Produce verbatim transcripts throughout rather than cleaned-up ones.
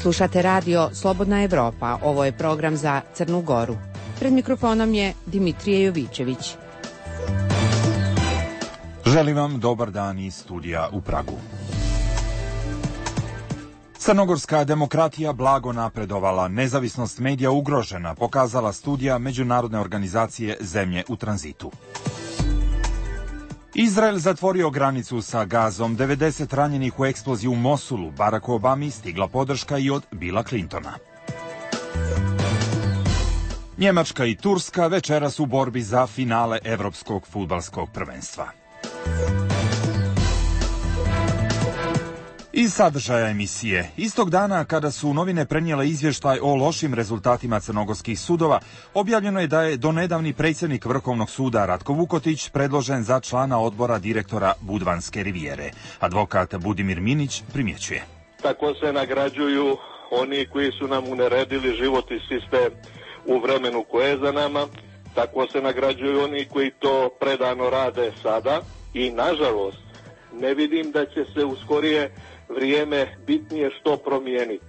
Slušate radio Slobodna Evropa, ovo je program za Crnu Goru. Pred mikrofonom je Dimitrije Jovičević. Želim vam dobar dan iz studija u Pragu. Crnogorska demokratija blago napredovala, nezavisnost medija ugrožena, pokazala studija Međunarodne organizacije Zemlje u tranzitu. Izrael zatvorio granicu sa Gazom, devedeset ranjenih u eksploziji u Mosulu, Baracku Obami stigla podrška i od Billa Clintona. Njemačka i Turska večeras u borbi za finale Evropskog fudbalskog prvenstva. Iz sadržaja emisije. Istog dana kada su novine prenijele izvještaj o lošim rezultatima crnogorskih sudova, objavljeno je da je donedavni predsjednik Vrhovnog suda Ratko Vukotić predložen za člana odbora direktora Budvanske rivijere. Advokat Budimir Minić primjećuje. Tako se nagrađuju oni koji su nam uneredili život i sistem u vremenu koje je za nama. Tako se nagrađuju oni koji to predano rade sada i, nažalost, ne vidim da će se u skorije vrijeme bitnije što promijeniti.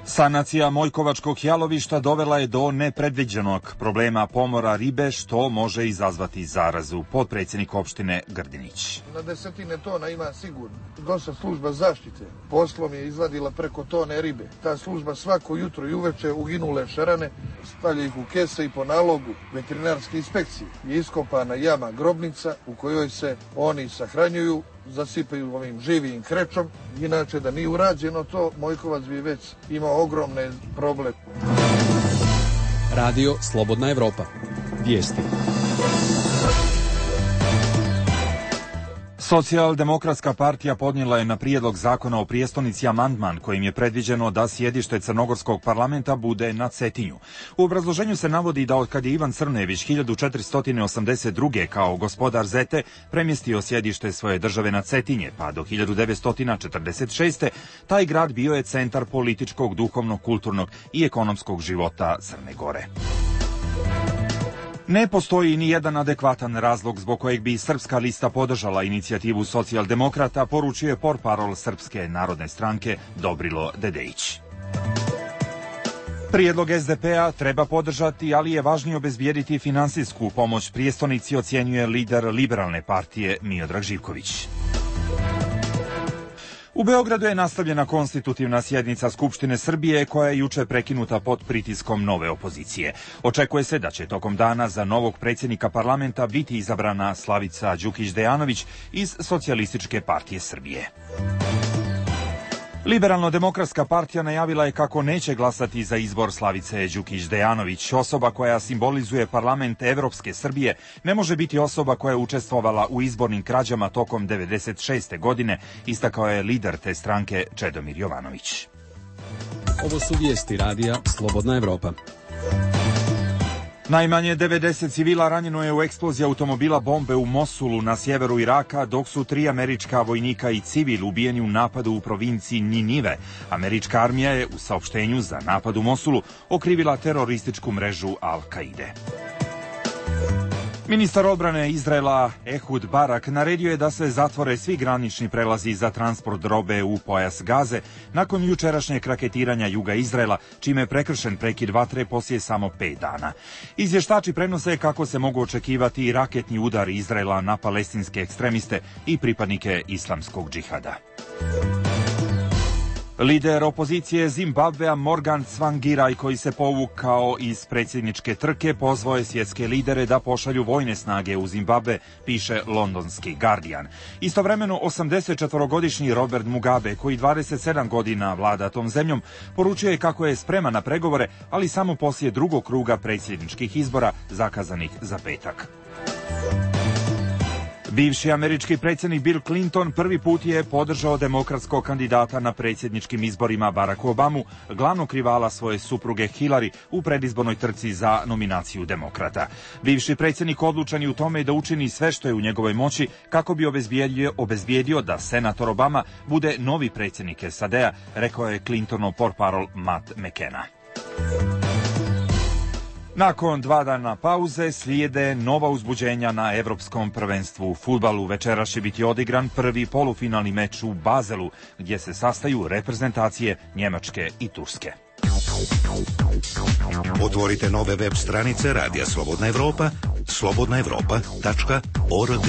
Sanacija Mojkovačkog jalovišta dovela je do nepredviđenog problema pomora ribe, što može izazvati zarazu. Potpredsjednik opštine Grdinić. Na desetine tona ima sigurno. Došla služba zaštite poslom je izvadila preko tone ribe. Ta služba svako jutro i uveče uginule šarane stavlja ih u kese i po nalogu veterinarske inspekcije je iskopana jama grobnica u kojoj se oni sahranjuju, zasipaju ovim živim krečom. Inače, da nije urađeno to, Mojkovac bi već imao ogromne probleme. Radio Slobodna Evropa. Vijesti. Socijaldemokratska partija podnijela je na prijedlog zakona o prijestolnici amandman kojim je predviđeno da sjedište Crnogorskog parlamenta bude na Cetinju. U obrazloženju se navodi da od kad je Ivan Crnević hiljadu četiristo osamdeset druge kao gospodar Zete premjestio sjedište svoje države na Cetinje, pa do hiljadu devetsto četrdeset šeste. taj grad bio je centar političkog, duhovnog, kulturnog i ekonomskog života Crne Gore. Ne postoji ni jedan adekvatan razlog zbog kojeg bi Srpska lista podržala inicijativu socijaldemokrata, poručio je portparol Srpske narodne stranke Dobrilo Dedejić. Prijedlog es de pe a treba podržati, ali je važnije obezbijediti finansijsku pomoć prijestolnici, ocjenjuje lider liberalne partije Miodrag Živković. U Beogradu je nastavljena konstitutivna sjednica Skupštine Srbije koja je juče prekinuta pod pritiskom nove opozicije. Očekuje se da će tokom dana za novog predsjednika parlamenta biti izabrana Slavica Đukić-Dejanović iz Socijalističke partije Srbije. Liberalno-demokratska partija najavila je kako neće glasati za izbor Slavice Đukić-Dejanović. Osoba koja simbolizuje parlament Evropske Srbije ne može biti osoba koja je učestvovala u izbornim krađama tokom devedeset šeste. godine, istakao je lider te stranke Čedomir Jovanović. Ovo su vijesti radija Slobodna Evropa. Najmanje devedeset civila ranjeno je u eksploziji automobila bombe u Mosulu na sjeveru Iraka, dok su tri američka vojnika i civil ubijeni u napadu u provinciji Ninive. Američka armija je u saopštenju za napad u Mosulu okrivila terorističku mrežu Al-Kaide. Ministar odbrane Izraela Ehud Barak naredio je da se zatvore svi granični prelazi za transport robe u pojas Gaze nakon jučerašnjeg raketiranja juga Izraela, čime je prekršen prekid vatre poslije samo pet dana. Izvještači prenose kako se mogu očekivati i raketni udar Izraela na palestinske ekstremiste i pripadnike islamskog džihada. Lider opozicije Zimbabvea Morgan Tsvangirai, koji se povukao iz predsjedničke trke, pozvao je svjetske lidere da pošalju vojne snage u Zimbabve, piše londonski Guardian. Istovremeno osamdesetčetvorogodišnji Robert Mugabe, koji dvadeset sedam godina vlada tom zemljom, poručio je kako je spreman na pregovore, ali samo poslije drugog kruga predsjedničkih izbora zakazanih za petak. Bivši američki predsjednik Bill Clinton prvi put je podržao demokratskog kandidata na predsjedničkim izborima Baracku Obamu, glavnog rivala svoje supruge Hillary u predizbornoj trci za nominaciju demokrata. Bivši predsjednik odlučan je u tome da učini sve što je u njegovoj moći kako bi obezbijedio, obezbijedio da senator Obama bude novi predsjednik es a de a, rekao je Clintonov portparol Matt McKenna. Nakon dva dana pauze slijede nova uzbuđenja na Evropskom prvenstvu u fudbalu. Večeras će biti odigran prvi polufinalni meč u Bazelu, gdje se sastaju reprezentacije Njemačke i Turske. Otvorite nove web stranice Radija Slobodna Evropa, slobodna evropa tačka org.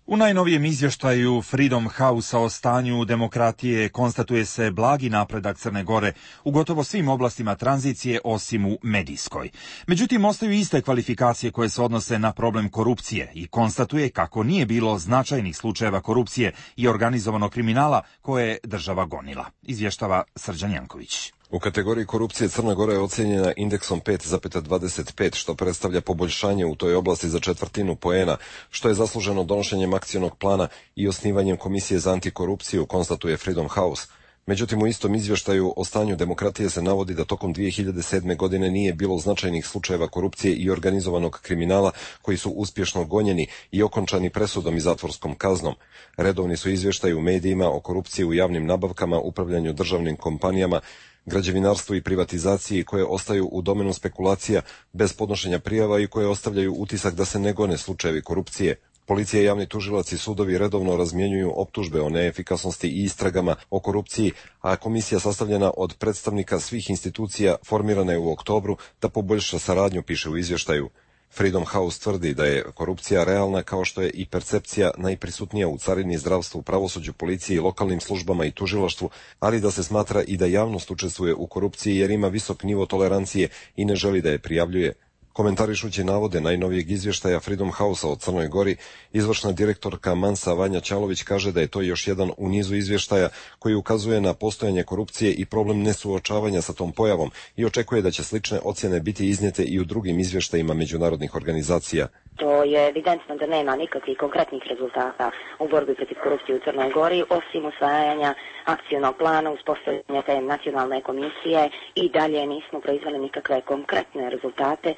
U najnovijem izvještaju Freedom House-a o stanju demokratije konstatuje se blagi napredak Crne Gore u gotovo svim oblastima tranzicije osim u medijskoj. Međutim, ostaju iste kvalifikacije koje se odnose na problem korupcije i konstatuje kako nije bilo značajnih slučajeva korupcije i organizovanog kriminala koje je država gonila. Izvještava Srđan Janković. U kategoriji korupcije Crna Gora je ocijenjena indeksom pet zarez dvadeset pet, što predstavlja poboljšanje u toj oblasti za četvrtinu poena, što je zasluženo donošenjem akcionog plana i osnivanjem Komisije za antikorupciju, konstatuje Freedom House. Međutim, u istom izvještaju o stanju demokratije se navodi da tokom dvije hiljade sedme. godine nije bilo značajnih slučajeva korupcije i organizovanog kriminala koji su uspješno gonjeni i okončani presudom i zatvorskom kaznom. Redovni su izvještaji u medijima o korupciji u javnim nabavkama, upravljanju državnim kompanijama, građevinarstvu i privatizaciji koje ostaju u domenu spekulacija bez podnošenja prijava i koje ostavljaju utisak da se ne gone slučajevi korupcije. Policija, javni tužilac i sudovi redovno razmjenjuju optužbe o neefikasnosti i istragama o korupciji, a komisija sastavljena od predstavnika svih institucija formirana je u oktobru da poboljša saradnju, piše u izvještaju. Freedom House tvrdi da je korupcija realna kao što je i percepcija najprisutnija u carini, zdravstvu, pravosuđu, policiji, lokalnim službama i tužilaštvu, ali da se smatra i da javnost učestvuje u korupciji jer ima visok nivo tolerancije i ne želi da je prijavljuje. Komentarišući navode najnovijeg izvještaja Freedom House-a o Crnoj Gori, izvršna direktorka Mansa Vanja Ćalović kaže da je to još jedan u nizu izvještaja koji ukazuje na postojanje korupcije i problem nesuočavanja sa tom pojavom i očekuje da će slične ocjene biti iznijete i u drugim izvještajima međunarodnih organizacija. To je evidentno da nema nikakvih konkretnih rezultata u borbi protiv korupcije u Crnoj Gori, osim usvajanja akcionog plana, uspostavljanja te nacionalne komisije i dalje nismo proizveli nikakve konkretne rezultate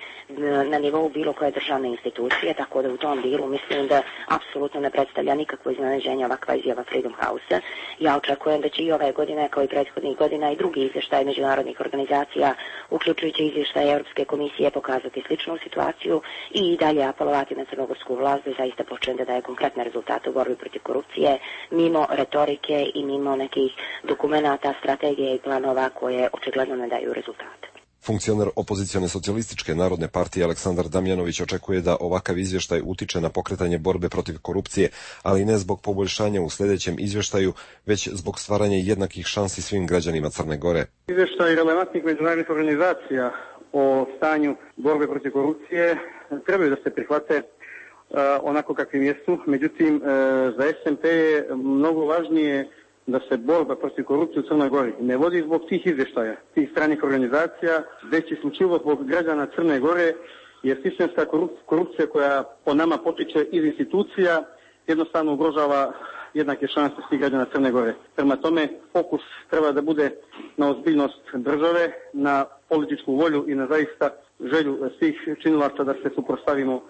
na nivou bilo koje državne institucije, tako da u tom dilu mislim da apsolutno ne predstavlja nikakvo iznenađenje ovakva izjava Freedom House-a. Ja očekujem da će i ove godine, kao i prethodnih godina, i drugi izvještaj međunarodnih organizacija, uključujući izvještaj Europske komisije, pokazati sličnu situaciju i dalje apelovati na crnogorsku vlast da zaista počne da daje konkretne rezultate u borbi protiv korupcije, mimo retorike i mimo nekih dokumenata, strategije i planova koje očigledno ne daju rezultate. Funkcioner opozicione socijalističke narodne partije Aleksandar Damjanović očekuje da ovakav izvještaj utiče na pokretanje borbe protiv korupcije, ali ne zbog poboljšanja u sljedećem izvještaju, već zbog stvaranja jednakih šansi svim građanima Crne Gore. Izvještaj relevantnih međunarodnih organizacija o stanju borbe protiv korupcije trebaju da se prihvate uh, onako kakvim jesu. Međutim, uh, za S N P je mnogo važnije da se borba protiv korupcije u Crnoj Gori ne vodi zbog tih izvještaja, tih stranih organizacija, već isključivo zbog građana Crne Gore, jer sistemska korupcija koja po nama potiče iz institucija jednostavno ugrožava jednake šanse svih građana Crne Gore. Prema tome, fokus treba da bude na ozbiljnost države, na političku volju i na zaista želju svih činilaca da se suprotstavimo uh,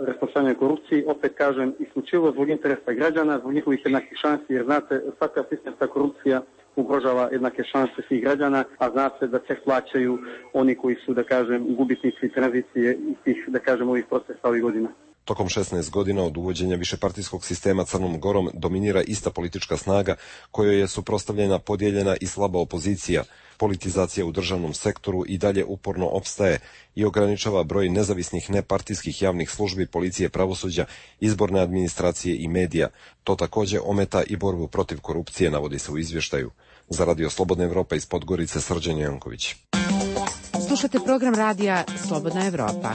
rasprostranjenoj korupciji. Opet kažem, isključivo zbog interesa građana, zbog njihovih jednakih šansi, jer znate, svaka sistemska korupcija ugrožava jednake šanse svih građana, a zna se da ceh plaćaju oni koji su, da kažem, gubitnici tranzicije i tih, da kažem, ovih procesa ovih godina. Tokom šesnaest godina od uvođenja višepartijskog sistema Crnom Gorom dominira ista politička snaga kojoj je suprotstavljena, podijeljena i slaba opozicija. Politizacija u državnom sektoru i dalje uporno opstaje i ograničava broj nezavisnih nepartijskih javnih službi, policije, pravosuđa, izborne administracije i medija. To također ometa i borbu protiv korupcije, navodi se u izvještaju. Za Radio Slobodna Evropa iz Podgorice, Srđan Janković. Slušate program radija Slobodna Evropa.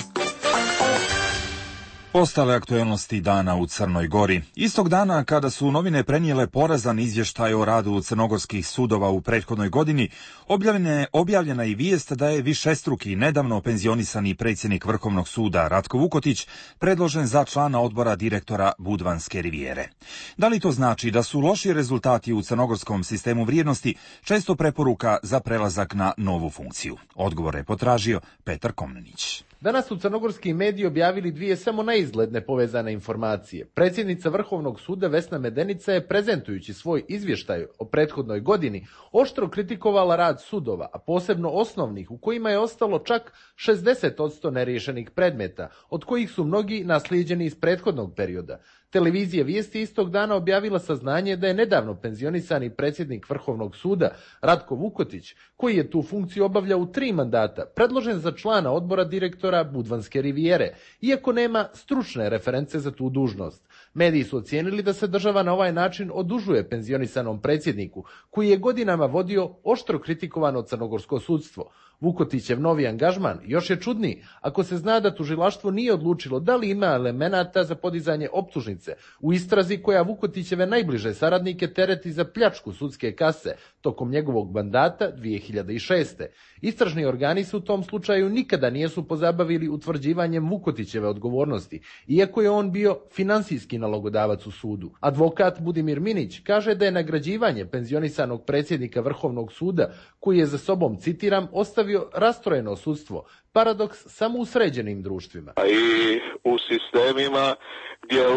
Ostale aktuelnosti dana u Crnoj Gori. Istog dana kada su novine prenijele porazan izvještaj o radu crnogorskih sudova u prethodnoj godini, objavljena, objavljena i vijest da je višestruki nedavno penzionisani predsjednik Vrhovnog suda Ratko Vukotić predložen za člana odbora direktora Budvanske rivijere. Da li to znači da su loši rezultati u crnogorskom sistemu vrijednosti često preporuka za prelazak na novu funkciju? Odgovor je potražio Petar Komnenić. Danas su crnogorski mediji objavili dvije samo neizgledne povezane informacije. Predsjednica Vrhovnog suda Vesna Medenica je, prezentujući svoj izvještaj o prethodnoj godini, oštro kritikovala rad sudova, a posebno osnovnih, u kojima je ostalo čak šezdeset posto neriješenih predmeta, od kojih su mnogi naslijeđeni iz prethodnog perioda. Televizija Vijesti istog dana objavila saznanje da je nedavno penzionisani predsjednik Vrhovnog suda Ratko Vukotić, koji je tu funkciju obavljao u tri mandata, predložen za člana odbora direktora Budvanske rivijere, iako nema stručne reference za tu dužnost. Mediji su ocijenili da se država na ovaj način odužuje penzionisanom predsjedniku, koji je godinama vodio oštro kritikovano crnogorsko sudstvo. Vukotićev novi angažman još je čudniji ako se zna da tužilaštvo nije odlučilo da li ima elemenata za podizanje optužnice u istrazi koja Vukotićeve najbliže saradnike tereti za pljačku sudske kase tokom njegovog mandata dvije hiljade šeste. Istražni organi se u tom slučaju nikada nisu pozabavili utvrđivanjem Vukotićeve odgovornosti, iako je on bio finansijski nalogodavac u sudu. Advokat Budimir Minić kaže da je nagrađivanje penzionisanog predsjednika Vrhovnog suda, koji je za sobom, citiram, ostavio rastrojeno sudstvo, paradoks samo u sređenim društvima. I u sistemima gdje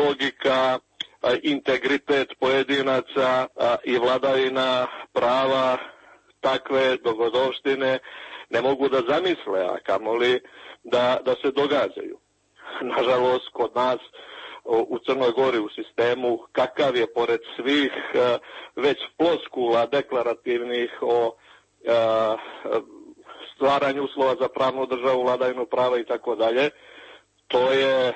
logika, integritet pojedinaca i vladavina prava takve dogodovštine ne mogu da zamisle, a kamoli da, da se događaju. Nažalost, kod nas u Crnoj Gori u sistemu, kakav je pored svih već floskula deklarativnih o stvaranju uslova za pravnu državu, vladavinu prava i tako dalje, to je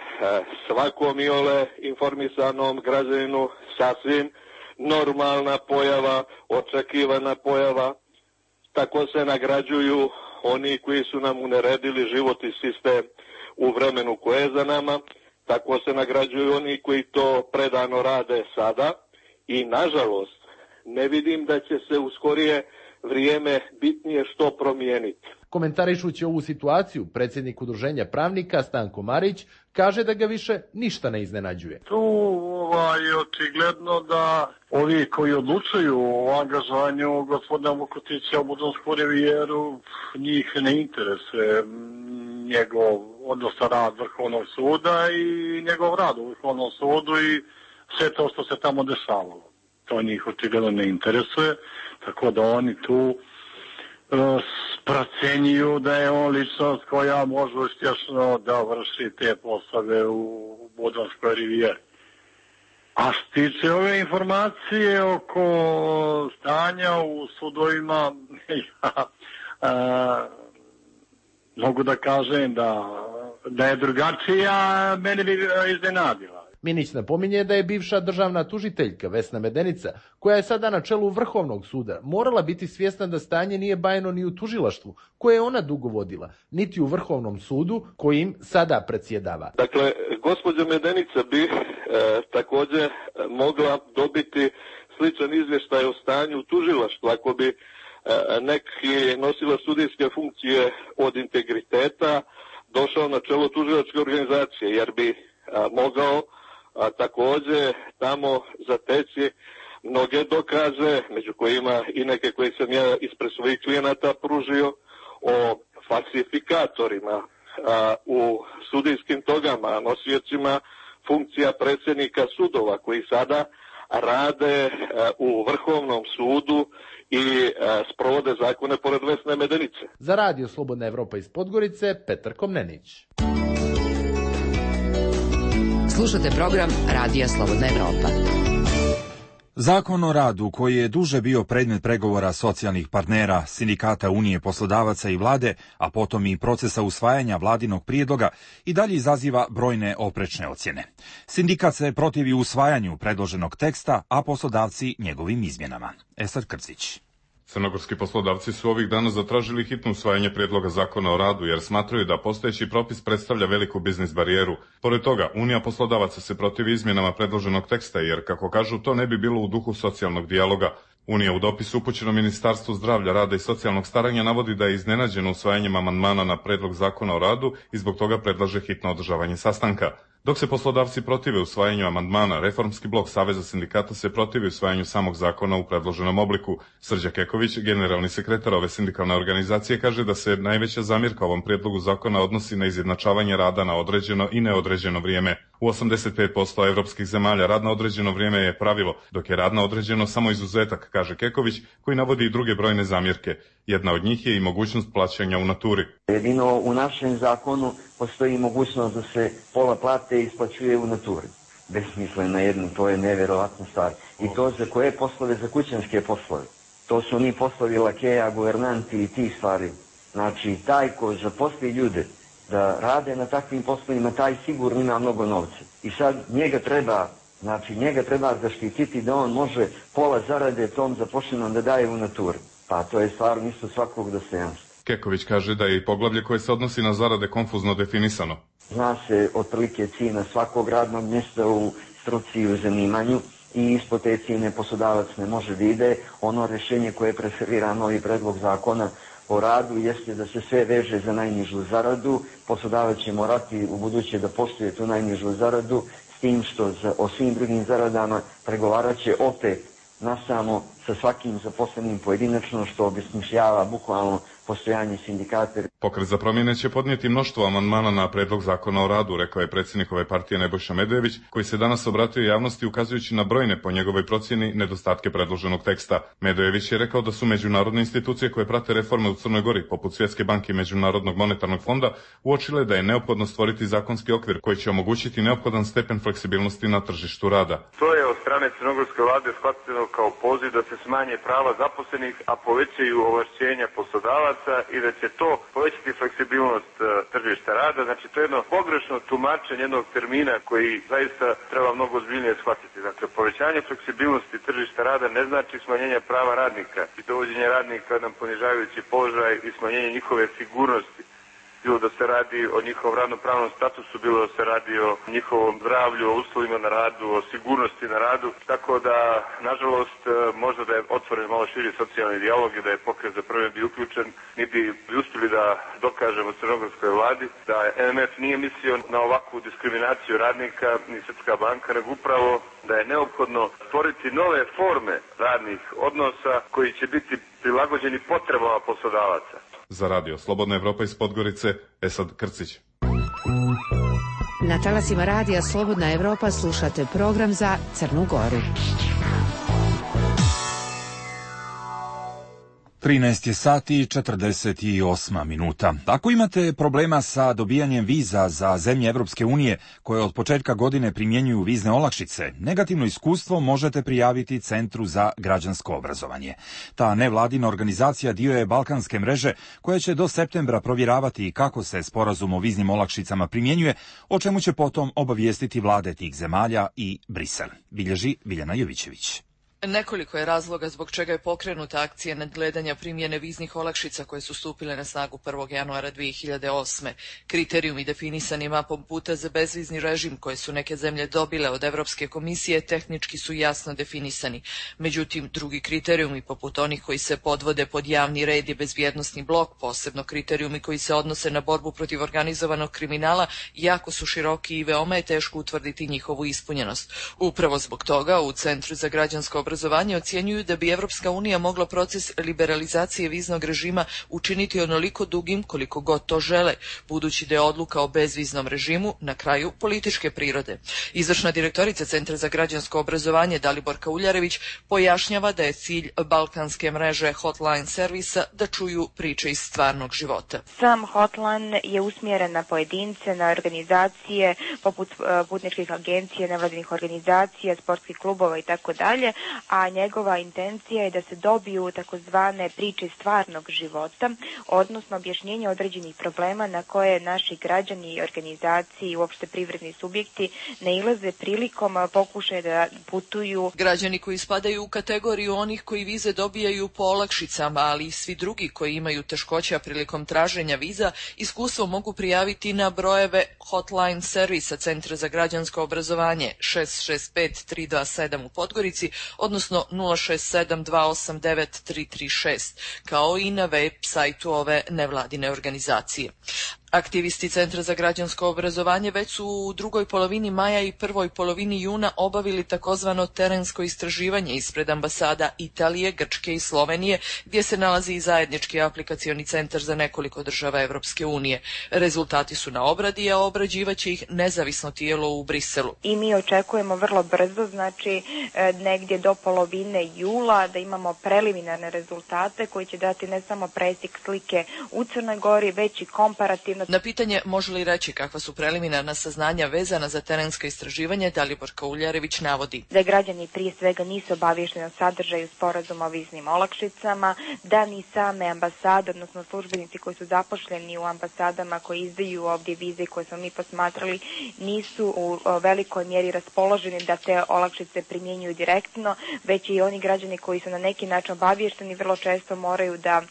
svakom iole informisanom građaninu sasvim normalna pojava, očekivana pojava. Tako se nagrađuju oni koji su nam uneredili život i sistem u vremenu koje je za nama, tako se nagrađuju oni koji to predano rade sada i, nažalost, ne vidim da će se u skorije vrijeme bitnije što promijeniti. Komentarišući ovu situaciju, predsjednik Udruženja pravnika Stanko Marić kaže da ga više ništa ne iznenađuje. Tu je očigledno da ovi koji odlučuju o angažovanju gospodina Vukotića u Budvansku rivijeru, njih ne interesuje njegov odnosno rad Vrhovnog suda i njegov rad u Vrhovnom sudu i sve to što se tamo dešavalo. To njih očigledno ne interesuje, tako da oni tu procenjuju da je on ličnost koja može uspješno da vrši te poslove u Budvanskoj rivijeri. A što tiče ove informacije oko stanja u sudovima, ja a, mogu da kažem da, da je drugačija, mene bi iznenadila. Minić napominje da je bivša državna tužiteljka Vesna Medenica, koja je sada na čelu Vrhovnog suda, morala biti svjesna da stanje nije bajno ni u tužilaštvu, koje je ona dugo vodila, niti u Vrhovnom sudu, kojim sada predsjedava. Dakle, gospođa Medenica bi e, također mogla dobiti sličan izvještaj o stanju u tužilaštvu, ako bi e, neki nosila sudijske funkcije od integriteta došao na čelo tužilačke organizacije, jer bi a, mogao a također tamo zateći mnoge dokaze, među kojima i neke koje sam ja ispred svojih klijenata pružio, o falsifikatorima a, u sudijskim togama, nosiocima funkcija predsjednika sudova koji sada rade a, u Vrhovnom sudu i a, sprovode zakone pored Vesne Medenice. Za Radio Slobodna Evropa iz Podgorice, Petar Komnenić. Slušate program Radija Slobodna Evropa. Zakon o radu, koji je duže bio predmet pregovora socijalnih partnera, sindikata Unije poslodavaca i vlade, a potom i procesa usvajanja vladinog prijedloga, i dalje izaziva brojne oprečne ocjene. Sindikat se protivi usvajanju predloženog teksta, a poslodavci njegovim izmjenama. Esad Krcić. Crnogorski poslodavci su ovih dana zatražili hitno usvajanje prijedloga zakona o radu jer smatraju da postojeći propis predstavlja veliku biznis barijeru. Pored toga, Unija poslodavaca se protivi izmjenama predloženog teksta jer, kako kažu, to ne bi bilo u duhu socijalnog dijaloga. Unija u dopisu upućenom Ministarstvu zdravlja, rada i socijalnog staranja navodi da je iznenađeno usvajanjem amandmana na predlog zakona o radu i zbog toga predlaže hitno održavanje sastanka. Dok se poslodavci protive usvajanju amandmana, Reformski blok Saveza sindikata se protivi usvajanju samog zakona u predloženom obliku. Srđa Keković, generalni sekretar ove sindikalne organizacije, kaže da se najveća zamjerka ovom prijedlogu zakona odnosi na izjednačavanje rada na određeno i neodređeno vrijeme. U osamdeset pet posto evropskih zemalja rad na određeno vrijeme je pravilo, dok je rad na određeno samo izuzetak, kaže Keković, koji navodi i druge brojne zamjerke. Jedna od njih je i mogućnost plaćanja u naturi. Jedino u našem zakonu postoji mogućnost da se pola plate isplaćuje u naturi. Besmisleno jedno, to je nevjerovatna stvar. I to za koje poslove? Za kućanske poslove. To su oni poslovi lakeja, guvernanti i ti stvari. Znači, taj ko zaposli ljude da rade na takvim poslovima, taj sigurno ima mnogo novca. I sad njega treba, znači njega treba zaštititi da on može pola zarade tom zaposlenom da daje u naturi. Pa to je stvarno isto svakog dostojanstva. Keković kaže da je i poglavlje koje se odnosi na zarade konfuzno definisano. Zna se otprilike cijena svakog radnog mjesta u struci i u zanimanju i ispod te cijene poslodavac ne može da ide. Ono rješenje koje preferira novi predlog zakona o radu jeste da se sve veže za najnižu zaradu. Poslodavac će morati u buduće da poštuje tu najnižu zaradu, s tim što za, o svim drugim zaradama pregovarat će opet nasamo sa svakim zaposlenim pojedinačno, što obesmišljava bukvalno postojanje sindikata. Pokret za promjene će podnijeti mnoštvo amandmana na predlog zakona o radu, rekao je predsjednik ove partije Nebojša Medvejević, koji se danas obratio javnosti ukazujući na brojne, po njegovoj procjeni, nedostatke predloženog teksta. Medvejević je rekao da su međunarodne institucije koje prate reforme u Crnoj Gori, poput Svjetske banke i Međunarodnog monetarnog fonda, uočile da je neophodno stvoriti zakonski okvir koji će omogućiti neophodan stepen fleksibilnosti na tržištu rada. To je od strane crnogorske vlade shvateno kao poziv da se smanje prava zaposlenih, a povećaju ovlašćenja poslodavaca i da će to povećati fleksibilnost uh, tržišta rada. Znači, to je jedno pogrešno tumačenje jednog termina koji zaista treba mnogo ozbiljnije shvatiti. Dakle, povećanje fleksibilnosti tržišta rada ne znači smanjenje prava radnika i dovođenje radnika u jedan ponižavajući položaj i smanjenje njihove sigurnosti. Bilo da se radi o njihovom radno-pravnom statusu, bilo da se radi o njihovom zdravlju, o uslovima na radu, o sigurnosti na radu. Tako da, nažalost, možda da je otvoren malo širi socijalni dijalog i da je Pokret za promjene bi uključen, mi bi uspjeli da dokažemo crnogorskoj vladi da M M F nije mislio na ovakvu diskriminaciju radnika ni Svjetska banka, nego upravo da je neophodno stvoriti nove forme radnih odnosa koji će biti prilagođeni potrebama poslodavaca. Za radio Slobodna Evropa iz Podgorice, Esad Krcić. Na talasima radija Slobodna Evropa slušate program za Crnu Goru. trinaest je sati i četrdeset osam minuta. Ako imate problema sa dobijanjem viza za zemlje Evropske unije koje od početka godine primjenjuju vizne olakšice, negativno iskustvo možete prijaviti Centru za građansko obrazovanje. Ta nevladina organizacija dio je balkanske mreže koja će do septembra provjeravati kako se sporazum o viznim olakšicama primjenjuje, o čemu će potom obavijestiti vlade tih zemalja i Brisel. Bilježi Biljana Jovićević. Nekoliko je razloga zbog čega je pokrenuta akcija nadgledanja primjene viznih olakšica koje su stupile na snagu prvog januara dvije hiljade osme. Kriterijumi definisani mapom puta za bezvizni režim koje su neke zemlje dobile od Evropske komisije tehnički su jasno definisani. Međutim, drugi kriterijumi, poput onih koji se podvode pod javni red i bezbjednosni blok, posebno kriterijumi koji se odnose na borbu protiv organizovanog kriminala, jako su široki i veoma je teško utvrditi njihovu ispunjenost. Upravo zbog toga u Centru za građansko obrazovanje obrazovanje ocjenjuju da bi Evropska unija mogla proces liberalizacije viznog režima učiniti onoliko dugim koliko god to žele, budući da je odluka o bezviznom režimu na kraju političke prirode. Izvršna direktorica Centra za građansko obrazovanje Daliborka Uljarević pojašnjava da je cilj balkanske mreže hotline servisa da čuju priče iz stvarnog života. Sam hotline je usmjeren na pojedince, na organizacije poput putničkih agencija, nevladinih organizacija, sportskih klubova i tako dalje, a njegova intencija je da se dobiju takozvane priče stvarnog života, odnosno objašnjenje određenih problema na koje naši građani i organizacije i uopšte privredni subjekti nailaze prilikom pokušaja da putuju. Građani koji spadaju u kategoriju onih koji vize dobijaju po olakšicama, ali i svi drugi koji imaju teškoća prilikom traženja viza, iskustvo mogu prijaviti na brojeve hotline servisa Centra za građansko obrazovanje šest šest pet tri dva sedam u Podgorici, odnosno nula šest sedam dva osam devet tri tri šest, kao i na web sajtu ove nevladine organizacije. Aktivisti Centra za građansko obrazovanje već su u drugoj polovini maja i prvoj polovini juna obavili takozvano terensko istraživanje ispred ambasada Italije, Grčke i Slovenije, gdje se nalazi i zajednički aplikacioni centar za nekoliko država Evropske unije. Rezultati su na obradi, a obrađivaće ih nezavisno tijelo u Briselu. I mi očekujemo vrlo brzo, znači negdje do polovine jula, da imamo preliminarne rezultate koji će dati ne samo presjek slike u Crnoj Gori, već i komparativno. Na pitanje može li reći kakva su preliminarna saznanja vezana za terensko istraživanje, Dalibor Kauljarević navodi da građani prije svega nisu obavješteni o sadržaju sporazuma o viznim olakšicama, da ni same ambasade, odnosno službenici koji su zaposleni u ambasadama koji izdaju ovdje vize koje smo mi posmatrali, nisu u velikoj mjeri raspoloženi da te olakšice primjenjuju direktno, već i oni građani koji su na neki način obavješteni vrlo često moraju da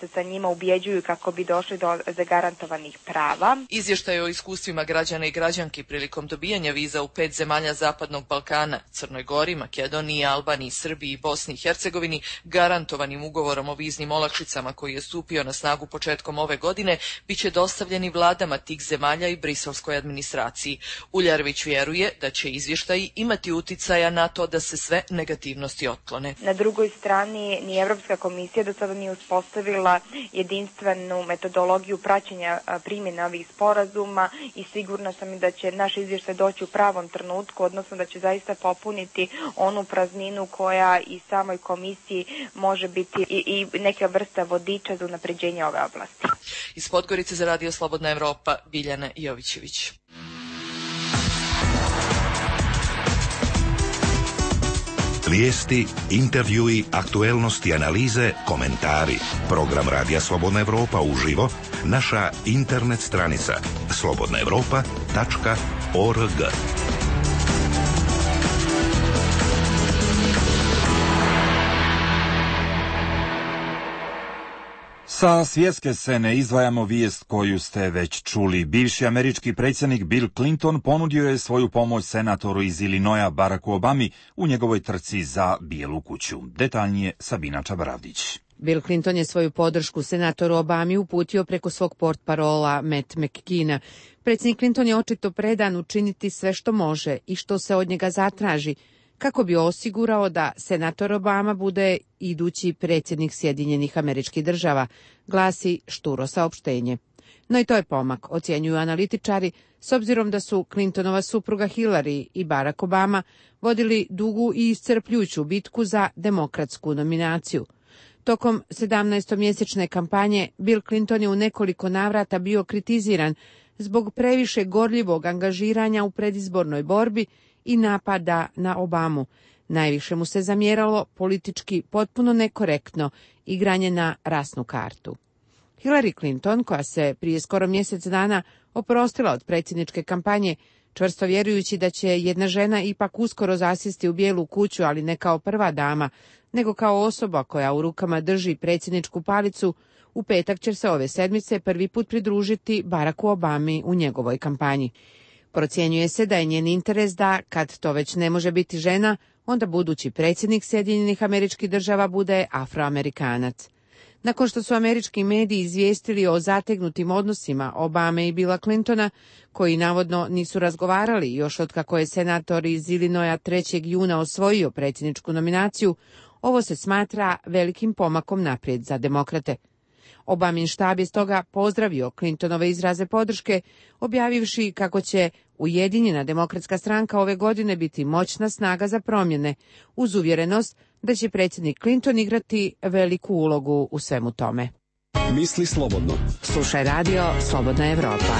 se sa njima ubjeđuju kako bi došli do zagarantovanih prava. Izvještaj o iskustvima građana i građanki prilikom dobijanja viza u pet zemalja Zapadnog Balkana, Crnoj Gori, Makedoniji, Albaniji, Srbiji i Bosni i Hercegovini, garantovanim ugovorom o viznim olakšicama koji je stupio na snagu početkom ove godine, bit će dostavljeni vladama tih zemalja i briselskoj administraciji. Uljarević vjeruje da će izvještaji imati uticaja na to da se sve negativnosti otklone. Na drugoj strani, ni Evropska komisija do sada nije uspostavila jedinstvenu metodologiju praćenja primjene ovih sporazuma i sigurna sam da će naš izvještaj doći u pravom trenutku, odnosno da će zaista popuniti onu prazninu koja i samoj komisiji može biti i, i neka vrsta vodiča za unapređenje ove oblasti. Iz Podgorice za Radio Slobodna Evropa, Biljana Jovićević. Vijesti, intervjui, aktuelnosti, analize, komentari. Program Radija Slobodna Evropa uživo, naša internet stranica slobodna evropa tačka org. Sa svjetske scene izdvajamo vijest koju ste već čuli. Bivši američki predsjednik Bill Clinton ponudio je svoju pomoć senatoru iz Illinoisa Baracku Obami u njegovoj trci za Bijelu kuću. Detaljnije Sabina Čabaravdić. Bill Clinton je svoju podršku senatoru Obami uputio preko svog portparola Matt McKeena. Predsjednik Clinton je očito predan učiniti sve što može i što se od njega zatraži, kako bi osigurao da senator Obama bude idući predsjednik Sjedinjenih Američkih Država, glasi šturo saopštenje. No i to je pomak, ocjenjuju analitičari, s obzirom da su Clintonova supruga Hillary i Barack Obama vodili dugu i iscrpljujuću bitku za demokratsku nominaciju. Tokom sedamnaestomjesečne kampanje Bill Clinton je u nekoliko navrata bio kritiziran zbog previše gorljivog angažiranja u predizbornoj borbi i napada na Obamu. Najviše mu se zamjeralo politički potpuno nekorektno igranje na rasnu kartu. Hillary Clinton, koja se prije skoro mjesec dana oprostila od predsjedničke kampanje, čvrsto vjerujući da će jedna žena ipak uskoro zasjesti u Bijelu kuću, ali ne kao prva dama, nego kao osoba koja u rukama drži predsjedničku palicu, u petak će se ove sedmice prvi put pridružiti Baracku Obami u njegovoj kampanji. Procjenjuje se da je njen interes da, kad to već ne može biti žena, onda budući predsjednik Sjedinjenih Američkih Država bude Afroamerikanac. Nakon što su američki mediji izvijestili o zategnutim odnosima Obame i Billa Clintona, koji navodno nisu razgovarali još otkako je senator iz Illinoisa trećeg juna osvojio predsjedničku nominaciju, ovo se smatra velikim pomakom naprijed za demokrate. Obamin štab je stoga pozdravio Clintonove izraze podrške, objavivši kako će Ujedinjena demokratska stranka ove godine biti moćna snaga za promjene, uz uvjerenost da će predsjednik Clinton igrati veliku ulogu u svemu tome. Misli slobodno. Slušaj radio Slobodna Evropa.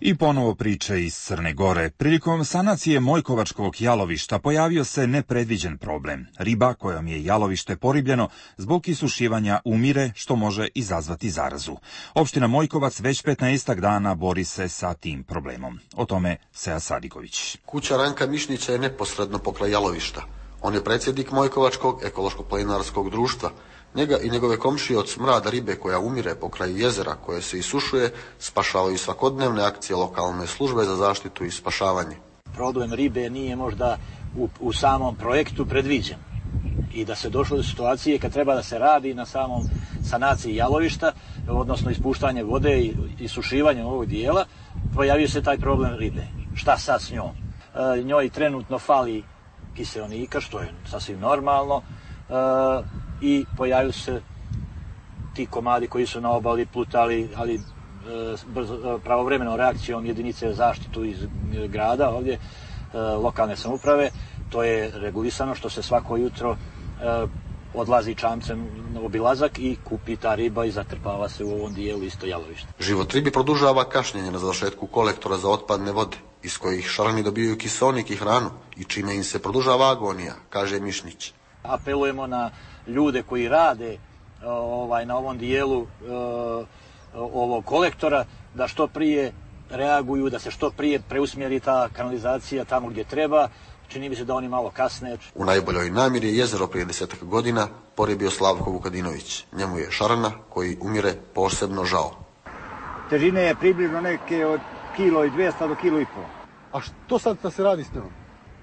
I ponovo priče iz Crne Gore. Prilikom sanacije Mojkovačkog jalovišta pojavio se nepredviđen problem. Riba kojom je jalovište poribljeno zbog isušivanja umire, što može izazvati zarazu. Opština Mojkovac već petnaestak dana bori se sa tim problemom. O tome Seja Sadiković. Kuća Ranka Mišnića je neposredno pokraj jalovišta. On je predsjednik Mojkovačkog ekološko-planinarskog društva. Njega i njegove komšije od smrada ribe koja umire pokraj jezera koje se isušuje spašavaju svakodnevne akcije lokalne službe za zaštitu i spašavanje. Problem ribe nije možda u, u samom projektu predviđen. i da se došlo do situacije kad treba da se radi na samom sanaciji jalovišta, odnosno ispuštanje vode i isušivanje ovog dijela, pojavio se taj problem ribe. Šta sad s njom? E, njoj trenutno fali kiseonika, što je sasvim normalno, e, i pojavio se ti komadi koji su na obali plutali, ali e, brzo, pravovremenom reakcijom jedinice zaštitu iz grada ovdje, e, lokalne samouprave, to je regulisano što se svako jutro e, odlazi čamcem na obilazak i kupi ta riba i zatrpava se u ovom dijelu isto jalovište. Život ribi produžava kašnjenje na završetku kolektora za otpadne vode, iz kojih šarani dobijaju kiseonik i hranu i čime im se produžava agonija, kaže Mišnić. Apelujemo na ljude koji rade ovaj, na ovom dijelu e, ovog kolektora da što prije reaguju, da se što prije preusmjeri ta kanalizacija tamo gdje treba. Čini mi se da oni malo kasne. U najboljoj namjeri je jezero prije desetak godina porijebio Slavko Vukadinović. Njemu je šarana koji umire posebno žao. Težine je približno neke od kilo i dvjesto do kilo i pol. A što sad da se radi s njom?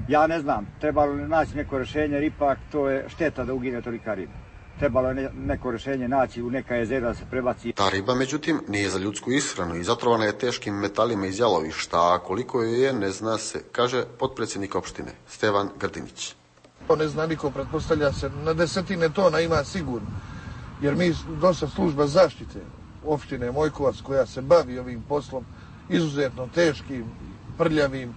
Ja ne znam, trebalo je naći neko rješenje, jer ipak to je šteta da ugine tolika riba. Trebalo je neko rješenje naći u neka jezera da se prebaci. Ta riba, međutim, nije za ljudsku ishranu i zatrovana je teškim metalima iz jalovišta, a koliko joj je ne zna se, kaže potpredsjednik opštine Stevan Grdinić. To ne zna niko, pretpostavlja se, na desetine tona ima sigurno, jer mi dosta služba zaštite opštine Mojkovac koja se bavi ovim poslom, izuzetno teškim, prljavim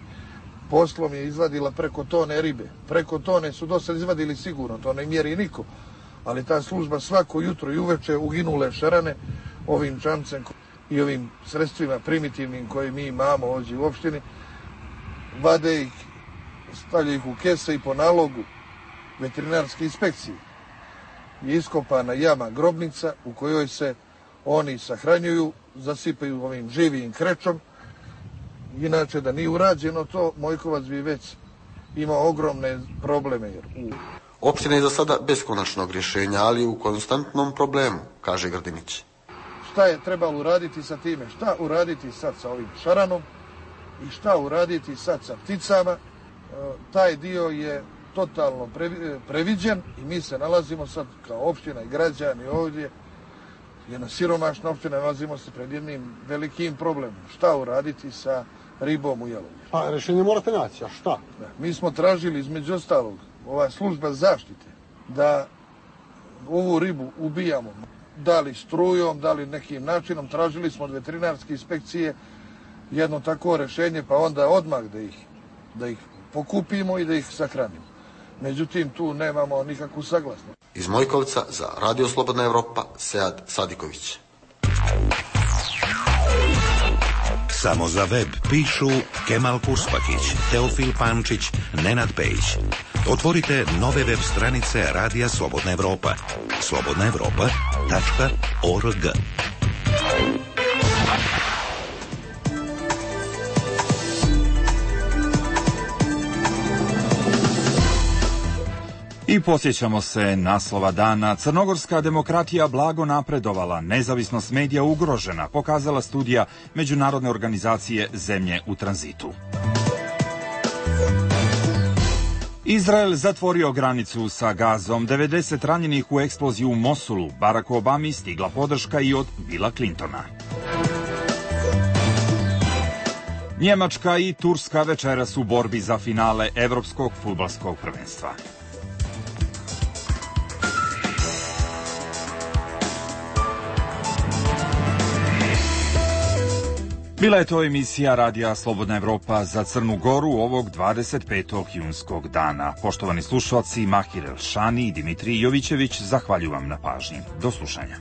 poslom, je izvadila preko tone ribe. Preko tone su dosta izvadili sigurno, to ne mjeri niko. Ali ta služba svako jutro i uveče uginule šarane ovim čamcem i ovim sredstvima primitivnim koje mi imamo ovdje u opštini, vade ih, stavljaju ih u kese i po nalogu veterinarske inspekcije je iskopana jama grobnica u kojoj se oni sahranjuju, zasipaju ovim živijim krečom. Inače da nije urađeno to, Mojkovac bi već imao ogromne probleme. Jer u Opština je za sada bez konačnog rješenja, ali u konstantnom problemu, kaže Grdinić. Šta je trebalo uraditi sa time? Šta uraditi sad sa ovim šaranom i šta uraditi sad sa pticama? E, taj dio je totalno previđen i mi se nalazimo sad kao opština i građani ovdje, jedna siromašna opština, nalazimo se pred jednim velikim problemom. Šta uraditi sa ribom u jalovištu? Pa rješenje morate naći, a šta? Da, mi smo tražili između ostalog ova služba zaštite da ovu ribu ubijamo, da li strujom, da li nekim načinom. Tražili smo od veterinarske inspekcije jedno takvo rješenje, pa onda odmah da ih, da ih pokupimo i da ih sahranimo. Međutim, tu nemamo nikakvu saglasnost. Iz Mojkovca za Radio Slobodna Evropa, Sead Sadiković. Samo za web pišu Kemal Purspakić, Teofil Pančić, Nenad Pejić. Otvorite nove web stranice Radija Slobodna Evropa. slobodna evropa tačka org. I posjećamo se naslova dana. Crnogorska demokratija blago napredovala, nezavisnost medija ugrožena, pokazala studija Međunarodne organizacije Zemlje u tranzitu. Izrael zatvorio granicu sa Gazom, devedeset ranjenih u eksploziji u Mosulu, Baracku Obami stigla podrška i od Billa Clintona. Njemačka i Turska večeras u borbi za finale Evropskog fudbalskog prvenstva. Bila je to emisija Radija Slobodna Evropa za Crnu Goru ovog dvadeset petog junskog dana. Poštovani slušalci, Mahir Elšani i Dimitrij Jovićević zahvaljujem vam na pažnji. Do slušanja.